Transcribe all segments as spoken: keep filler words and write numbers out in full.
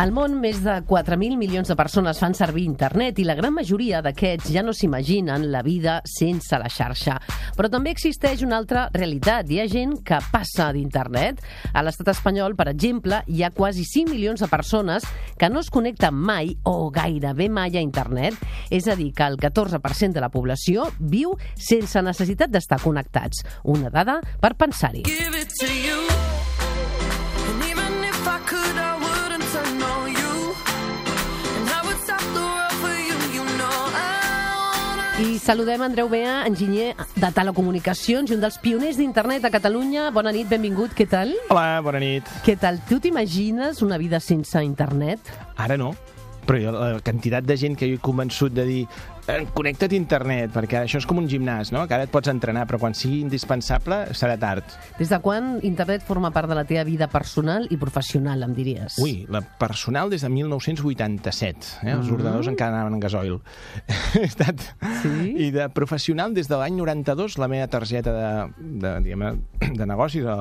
Al món, més de quatre mil milions de persones fan servir internet i la gran majoria d'aquests ja no s'imaginen la vida sense la xarxa. Però també existeix una altra realitat. Hi ha gent que passa d'internet. A l'estat espanyol, per exemple, hi ha quasi cinc milions de persones que no es connecten mai o gairebé mai a internet. És a dir, que el catorze per cent de la població viu sense necessitat d'estar connectats. Una dada per pensar-hi. Give it to you. And even if I could, I wouldn't turn on you. And I would stop the world for you, you know I wanna... I saludem Andreu Bea, enginyer de telecomunicacions i un dels pioners d'internet a Catalunya. Bona nit, benvingut, què tal? Hola, bona nit. Què tal? Tu t'imagines una vida sense internet? Ara no, però jo, la quantitat de gent que jo he convençut de dir connecta't a internet, perquè això és com un gimnàs, no? Que ara et pots entrenar, però quan sigui indispensable serà tard. Des de quan internet forma part de la teva vida personal i professional, em diries? Ui, la personal des de mil nou-cents vuitanta-set. Eh? Els mm. ordinadors encara anaven en gasoil. He estat... Sí? I de professional, des de l'any noranta-dos, la meva targeta de, de, diguem, de negoci, de,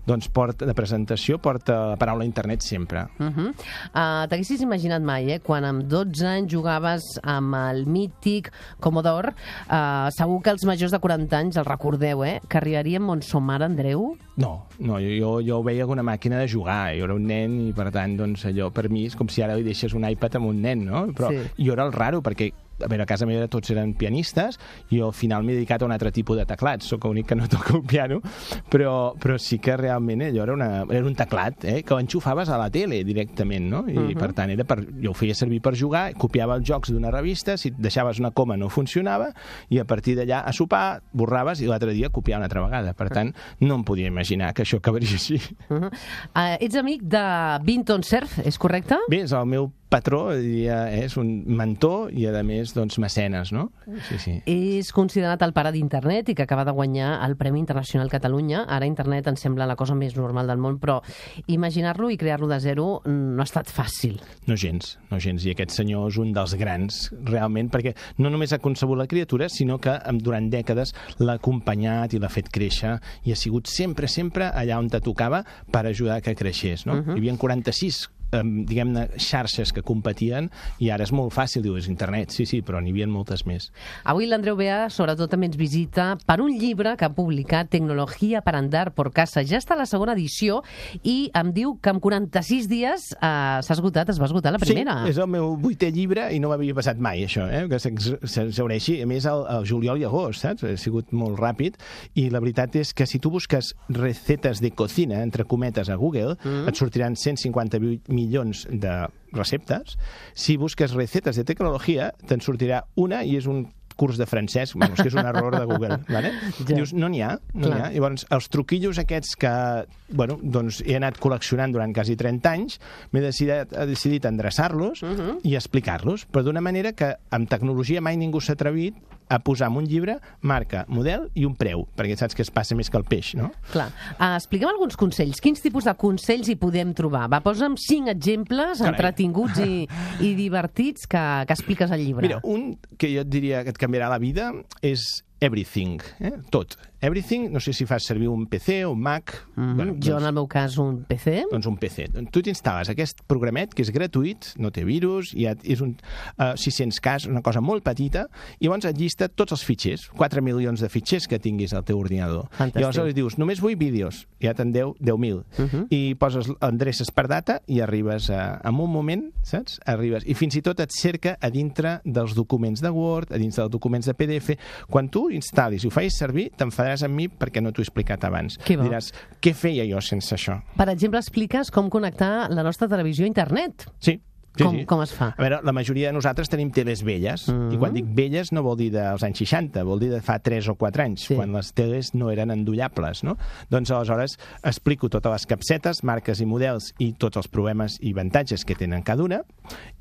doncs porta, de presentació, porta la paraula internet sempre. Uh -huh. uh, T'haguessis imaginat mai, eh? Quan amb dotze anys jugaves amb el mític Commodore, uh, segur que els majors de quaranta anys el recordeu, eh? Que arribaríem on som ara, Andreu? No, no, jo, jo ho veia com una màquina de jugar. Jo era un nen i, per tant, doncs, allò per mi és com si ara li deixes un iPad a un nen, no? Però sí. Jo era el raro, perquè a veure, a casa meva tots eren pianistes i jo al final m'he dedicat a un altre tipus de teclats. Soc l'únic que no toca un piano, però, però sí que realment allò era, una, era un teclat, eh, que enxufaves a la tele directament, no? I, uh -huh. per tant, era per, jo ho feia servir per jugar, copiava els jocs d'una revista, si deixaves una coma no funcionava, i a partir d'allà a sopar, borraves i l'altre dia copiar una altra vegada. Per tant, no em podia imaginar que això acabaria així. Uh -huh. uh, ets amic de Vinton Cerf, és correcte? Bé, és el meu patró, diria, és un mentor i, a més, doncs, mecenes, no? Sí, sí. És considerat el pare d'internet i que acaba de guanyar el Premi Internacional Catalunya. Ara internet ens sembla la cosa més normal del món, però imaginar-lo i crear-lo de zero no ha estat fàcil. No gens, no gens. I aquest senyor és un dels grans, realment, perquè no només ha concebut la criatura, sinó que durant dècades l'ha acompanyat i l'ha fet créixer i ha sigut sempre, sempre allà on te tocava per ajudar que creixés, no? Uh -huh. Hi havia quaranta-sis diguem-ne, xarxes que competien i ara és molt fàcil, diu, és internet, sí, sí, però n'hi havia moltes més. Avui l'Andreu Bea sobretot també ens visita per un llibre que ha publicat, Tecnologia para andar por casa. Ja està a la segona edició i em diu que en quaranta-sis dies eh, s'ha esgotat, es va esgotar la primera. Sí, és el meu vuitè llibre i no m'havia passat mai, això, eh? Que s'exhaureixi, a més, al, al juliol i agost, saps? Ha sigut molt ràpid i la veritat és que si tu busques recetes de cocina, entre cometes, a Google, mm. et sortiran cent cinquanta-vuit milions de receptes. Si busques recetes de tecnologia, te'n sortirà una i és un curs de francès, bueno, és que és un error de Google, ¿vale? Ja. Dius, no n'hi ha, no n'hi ha. Llavors, els truquillos aquests que, bueno, doncs he anat col·leccionant durant quasi trenta anys, m'he decidit, he decidit endreçar-los uh -huh. i explicar-los, però d'una manera que amb tecnologia mai ningú s'ha atrevit a posar en un llibre marca, model i un preu, perquè saps que es passa més que el peix, no? Clar. Uh, expliquem alguns consells. Quins tipus de consells hi podem trobar? Va, posa'm cinc exemples Carai. entretinguts i, i divertits que, que expliques al llibre. Mira, un que jo et diria que et canviarà la vida és everything, eh? Tot. Everything, no sé si fas servir un P C o un Mac. Mm-hmm. bueno, jo, doncs, en el meu cas, un P C. Doncs un P C. Tu t'instal·les aquest programet, que és gratuït, no té virus, i és un uh, sis-cents K, una cosa molt petita, i llavors et llista tots els fitxers, quatre milions de fitxers que tinguis al teu ordinador. Fantàstic. I llavors dius, només vull vídeos, ja te'n deu deu mil. Uh-huh. I poses endreces per data i arribes a, en un moment, saps? Arribes. I fins i tot et cerca a dintre dels documents de Word, a dins dels documents de P D F. Quan tu instal·lis i ho facis servir, t'enfadaràs amb mi perquè no t'ho he explicat abans. Diràs, què feia jo sense això? Per exemple, expliques com connectar la nostra televisió a internet. Sí. Sí, com, sí. com es fa? A veure, la majoria de nosaltres tenim teles velles, mm-hmm. i quan dic velles no vol dir dels anys seixanta, vol dir de fa tres o quatre anys, sí. quan les teles no eren endollables, no? Doncs aleshores explico totes les capsetes, marques i models i tots els problemes i avantatges que tenen cada una,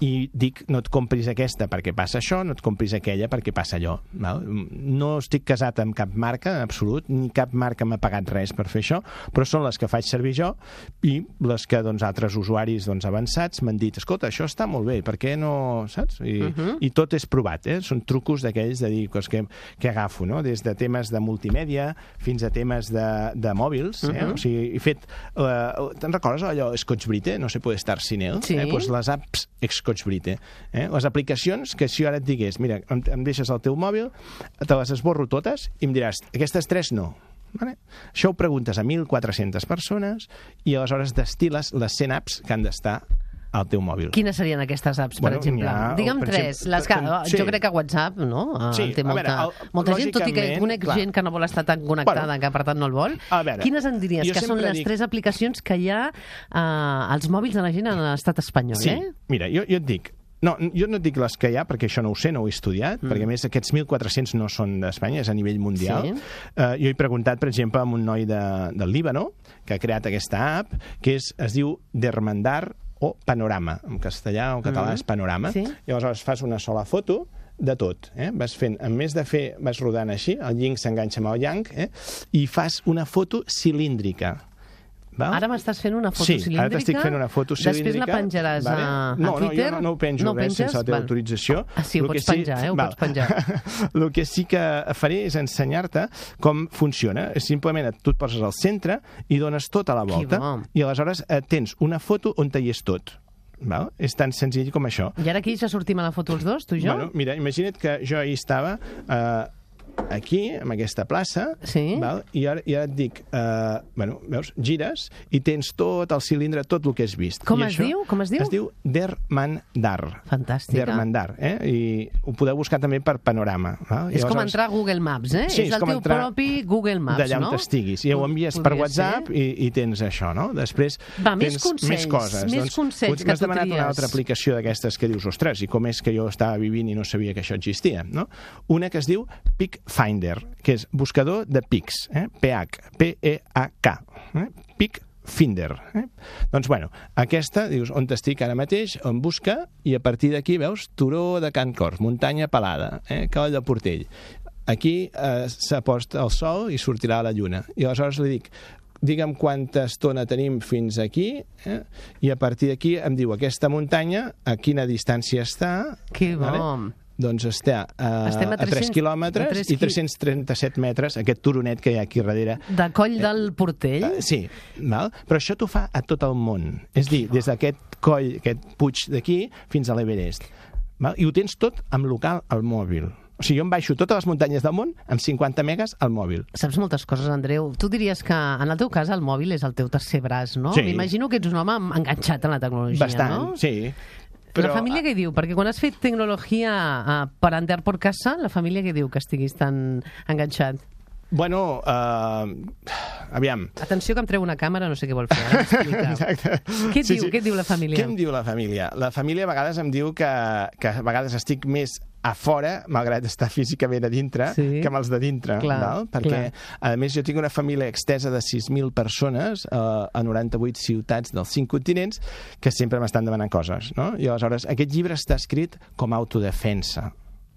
i dic, no et compris aquesta perquè passa això, no et compris aquella perquè passa allò. Val? No estic casat amb cap marca, en absolut, ni cap marca m'ha pagat res per fer això, però són les que faig servir jo i les que doncs, altres usuaris doncs, avançats m'han dit, escolta, això això està molt bé, per què no, saps? I, Uh -huh. i tot és provat, eh? Són trucos d'aquells de dir cos que, que agafo, no? Des de temes de multimèdia fins a temes de, de mòbils, eh? Uh -huh. O sigui, he fet... Uh, te'n recordes allò Scotch Brite? No se puede estar sin él? Sí. Eh? Pues les apps Scotch Brite. Eh? Les aplicacions que si jo ara et digués, mira, em, em deixes el teu mòbil, te les esborro totes i em diràs, aquestes tres no. Vale? Això ho preguntes a mil quatre-centes persones i aleshores destil·les les cent apps que han d'estar al teu mòbil. Quines serien aquestes apps, per Bueno, exemple? n'hi ha, Digue'm per tres. exemple, Les que, sí. Jo crec que WhatsApp, no? Eh, Sí, té a molta, veure, el- molta gent, tot i que lògicament, conec clar. gent que no vol estar tan connectada, Bueno, que per tant no el vol. a veure, Quines en diries jo que són sempre les dic- tres aplicacions que hi ha eh, als mòbils de la gent en l'estat espanyol, Sí, eh? mira, jo, jo et dic, no, jo no et dic les que hi ha, perquè això no ho sé, no ho he estudiat, mm. perquè a més aquests mil quatre-cents no són d'Espanya, és a nivell mundial. Sí. Uh, jo he preguntat, per exemple, a un noi de, del Líbano, que ha creat aquesta app, que és, es diu Dermandar o Panorama. En castellà o en català mm. és Panorama. Sí. I aleshores fas una sola foto de tot. Eh? Vas fent, en més de fer, vas rodant així, el yin s'enganxa amb el yang, eh? I fas una foto cilíndrica. Val? Ara m'estàs fent una foto Sí, cilíndrica. ara t'estic fent una foto cilíndrica. Després la penjaràs vale? a, a no, Twitter. No, jo no, no ho penjo no res penges? sense la teva Val. autorització. Ah, sí, ho El que pots penjar, eh? Ho val. pots penjar. El que sí que faré és ensenyar-te com funciona. Simplement tu et poses al centre i dones tota la volta. bo. I aleshores eh, tens una foto on hi és tot. Val? És tan senzill com això. I ara aquí ja sortim a la foto els dos, tu i jo? Bueno, mira, imagina't que jo ahir estava eh, aquí, en aquesta plaça, Sí. val? I, ara, i ara et dic, eh, bueno, veus, gires i tens tot el cilindre, tot el que has vist. Com I es diu? Com es diu? Es diu Dermandar. Fantàstica. Dermandar, eh? I ho podeu buscar també per Panorama. Val? I És com aleshores- entrar a Google Maps, eh? Sí, és és el com teu entrar propi Google Maps, d'allà no? on estiguis. I ho envies per Podria WhatsApp ser. i, i tens això, no? Després Va, més tens consells, més coses. més doncs, consells que M'has tu demanat una tries. altra aplicació d'aquestes que dius, ostres, i com és que jo estava vivint i no sabia que això existia, no? Una que es diu Pic Finder, que és buscador de pics, eh? P H, P E A K, eh? Pic Finder. Eh? Doncs, bueno, aquesta, dius, on estic ara mateix, on busca, i a partir d'aquí veus Turó de Can Cors, muntanya pelada, eh? Cavall de Portell. Aquí eh, s'ha post el sol i sortirà la lluna. I aleshores li dic, digue'm quanta estona tenim fins aquí, eh? I a partir d'aquí em diu aquesta muntanya, a quina distància està. Que bo. Doncs està a, Estem a a tres tres-cents quilòmetres a tres i qui- tres-cents trenta-set metres, aquest turonet que hi ha aquí darrere. De Coll del Portell? Eh, sí, val? Però això t'ho fa a tot el món. És dir, des d'aquest coll, aquest puig d'aquí, fins a l'Everest. Val? I ho tens tot amb local al mòbil. O sigui, jo em baixo totes les muntanyes del món amb cinquanta megas al mòbil. Saps moltes coses, Andreu. Tu diries que, en el teu cas, el mòbil és el teu tercer braç, no? Sí. M'imagino que ets un home enganxat en la tecnologia, Bastant, no? sí. Però... La família què diu? Perquè quan has fet tecnologia uh, per andar por casa, la família què diu que estiguis tan enganxat? Bueno, uh, aviam. Atenció que em treu una càmera, no sé què vol fer. Ara m'explica. Exacte. Què et diu? Què et diu la família? Què em diu la família? La família a vegades em diu que, que a vegades estic més a fora, malgrat estar físicament a dintre, Sí. que amb els de dintre. Clar, val? Perquè, clar. a més, jo tinc una família extesa de sis mil persones eh, a noranta-vuit ciutats dels cinc continents que sempre m'estan demanant coses. No? I aleshores, aquest llibre està escrit com a autodefensa.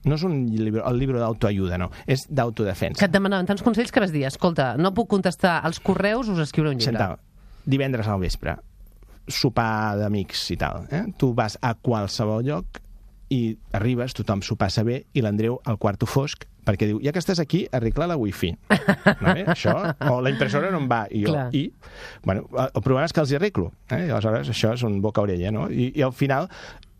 No és un llibre, el llibre d'autoajuda, no. És d'autodefensa. Que et demanaven tants consells que vas dir, escolta, no puc contestar als correus, us escriuré un llibre. Chantal, divendres al vespre, sopar d'amics i tal. Eh? Tu vas a qualsevol lloc i arribes, tothom s'ho passa bé, i l'Andreu al quarto fosc, perquè diu, ja que estàs aquí, arregla la wifi. Vale? Això, o la impressora no em va, i jo, Clar. i... Bueno, el problema és que els hi arreglo. Eh? I aleshores, això és un boca-orella, no? I, I al final,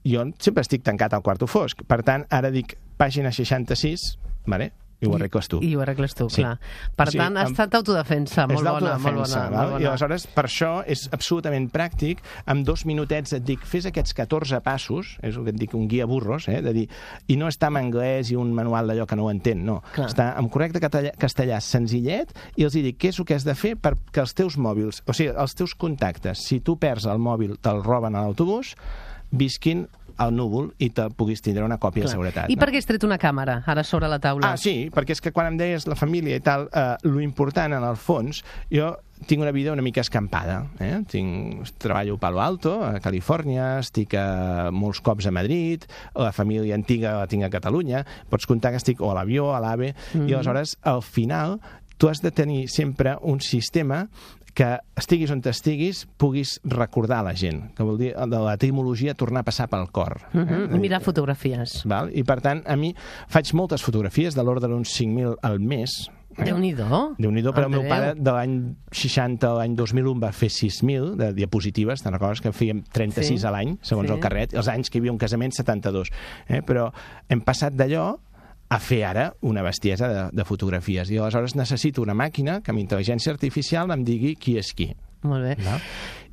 jo sempre estic tancat al quarto fosc. Per tant, ara dic, pàgina seixanta-sis, vale? I ho arregles tu. I ho arregles tu, Sí. clar. Per O sigui, tant, ha amb- estat autodefensa, molt és bona, molt bona. d'autodefensa, molt val? bona. I aleshores, per això és absolutament pràctic. En dos minutets et dic, fes aquests catorze passos, és el que et dic, un guia burros, eh? De dir, i no està en anglès i un manual d'allò que no ho entén, no. Clar. Està en correcte castellà, castellà senzillet, i els hi dic què és el que has de fer perquè els teus mòbils, o sigui, els teus contactes, si tu perds el mòbil, te'l roben a l'autobús, visquin al núvol i te puguis tindre una còpia Clar. de seguretat. I no? per què has tret una càmera ara sobre la taula? Ah, sí, perquè és que quan em deies la família i tal, eh, lo important en el fons, jo tinc una vida una mica escampada. Eh? Tinc, treballo a Palo Alto, a Califòrnia, estic a, molts cops a Madrid, la família antiga la tinc a Catalunya, pots comptar que estic o a l'avió, a l'AVE, mm -hmm. i aleshores, al final, tu has de tenir sempre un sistema que estiguis on estiguis puguis recordar la gent, que vol dir de l'etimologia tornar a passar pel cor. Uh -huh. I mirar fotografies. Val? I per tant, a mi faig moltes fotografies de l'ordre d'uns cinc mil al mes. Eh? Déu-n'hi-do. Déu-n'hi-do, però el meu pare de l'any seixanta a l'any dos mil un va fer sis mil de diapositives, te'n recordes que fèiem trenta-sis Sí. a l'any, segons Sí. el carret, els anys que hi havia un casament, setanta-dos. Eh? Però hem passat d'allò a fer ara una bestiesa de, de fotografies. I aleshores necessito una màquina que amb intel·ligència artificial em digui qui és qui. Molt bé. No?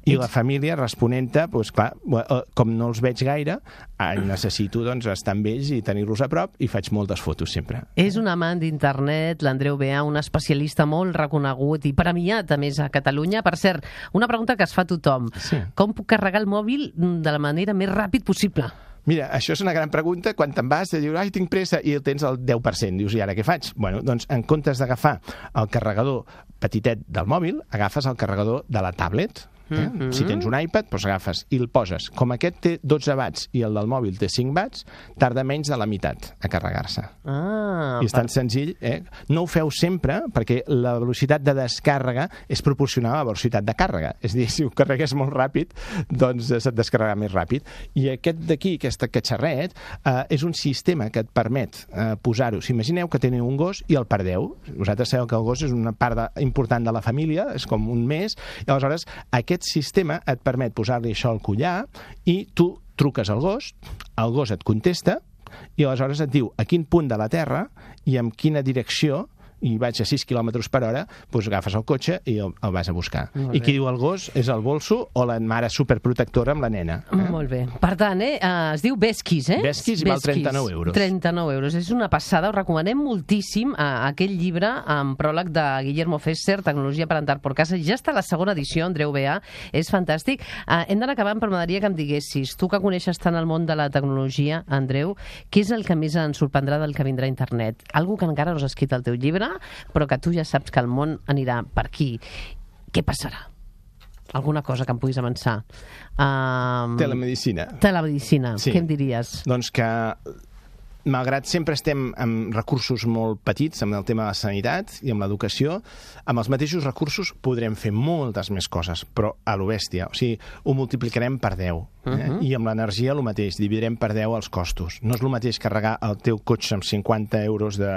I la família responent-te, doncs, clar, com no els veig gaire, necessito doncs, estar amb ells i tenir-los a prop i faig moltes fotos sempre. És un amant d'internet, l'Andreu Beà, un especialista molt reconegut i premiat, a més, a Catalunya. Per cert, una pregunta que es fa tothom. Sí. Com puc carregar el mòbil de la manera més ràpid possible? Mira, això és una gran pregunta. Quan te'n vas, dius, ai, tinc pressa, i tens el deu per cent. Dius, i ara què faig? Bueno, doncs, en comptes d'agafar el carregador petitet del mòbil, agafes el carregador de la tablet. Eh? Mm-hmm. Si tens un iPad, doncs agafes i el poses. Com aquest té dotze watts i el del mòbil té cinc watts, tarda menys de la meitat a carregar-se. Ah, I és tan senzill, eh? No ho feu sempre, perquè la velocitat de descàrrega és proporcional a la velocitat de càrrega. És a dir, si ho carregues molt ràpid, doncs se't descarregarà més ràpid. I aquest d'aquí, aquest catxarret, eh, és un sistema que et permet eh, posar-ho. Si imagineu que teniu un gos i el perdeu. Vosaltres sabeu que el gos és una part de, important de la família, és com un mes, i aleshores aquest sistema et permet posar-li això al collar i tu truques al gos, el gos et contesta i aleshores et diu a quin punt de la Terra i en quina direcció, i vaig a sis quilòmetres per hora, doncs agafes el cotxe i el, el vas a buscar. Molt I bé. qui diu el gos és el bolso o la mare superprotectora amb la nena. Eh? Molt bé. Per tant, eh, eh, es diu Beskis, eh? Beskis i val trenta-nou euros. trenta-nou euros. És una passada. Us recomanem moltíssim eh, aquell llibre amb pròleg de Guillermo Fesser, Tecnologia per andar por casa. Ja està la segona edició, Andreu Beà. És fantàstic. Eh, hem d'anar acabant, però m'agradaria que em diguessis, tu que coneixes tant el món de la tecnologia, Andreu, què és el que més ens sorprendrà del que vindrà a internet? Algo que encara no has escrit al teu llibre, però que tu ja saps que el món anirà per aquí. Què passarà? Alguna cosa que em puguis avançar? Um, Telemedicina. Telemedicina. Sí. Què em diries? Doncs que, malgrat sempre estem amb recursos molt petits, amb el tema de la sanitat i amb l'educació, amb els mateixos recursos podrem fer moltes més coses, però a lo bèstia. O sigui, ho multiplicarem per deu. Eh? Uh-huh. I amb l'energia el mateix, dividirem per deu els costos. No és el mateix carregar el teu cotxe amb cinquanta euros de,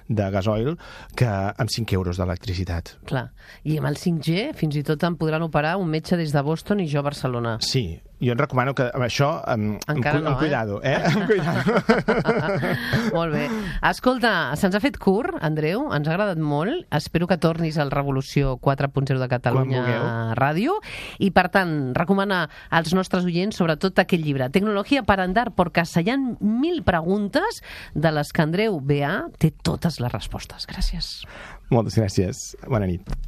de gasoil que amb cinc euros d'electricitat. Clar. I amb el cinc G fins i tot em podran operar un metge des de Boston i jo a Barcelona. Sí, jo et recomano que amb això amb, Encara amb, no, amb cuidado, eh? eh? Amb cuidado. Molt bé. Escolta, se'ns ha fet curt, Andreu, ens ha agradat molt. Espero que tornis al Revolució quatre punt zero de Catalunya Ràdio. I, per tant, recomanar als nostres oients sobretot aquest llibre, Tecnologia para andar por casa. Hi ha mil preguntes de les que Andreu Beà té totes les respostes. Gràcies. Moltes gràcies. Bona nit.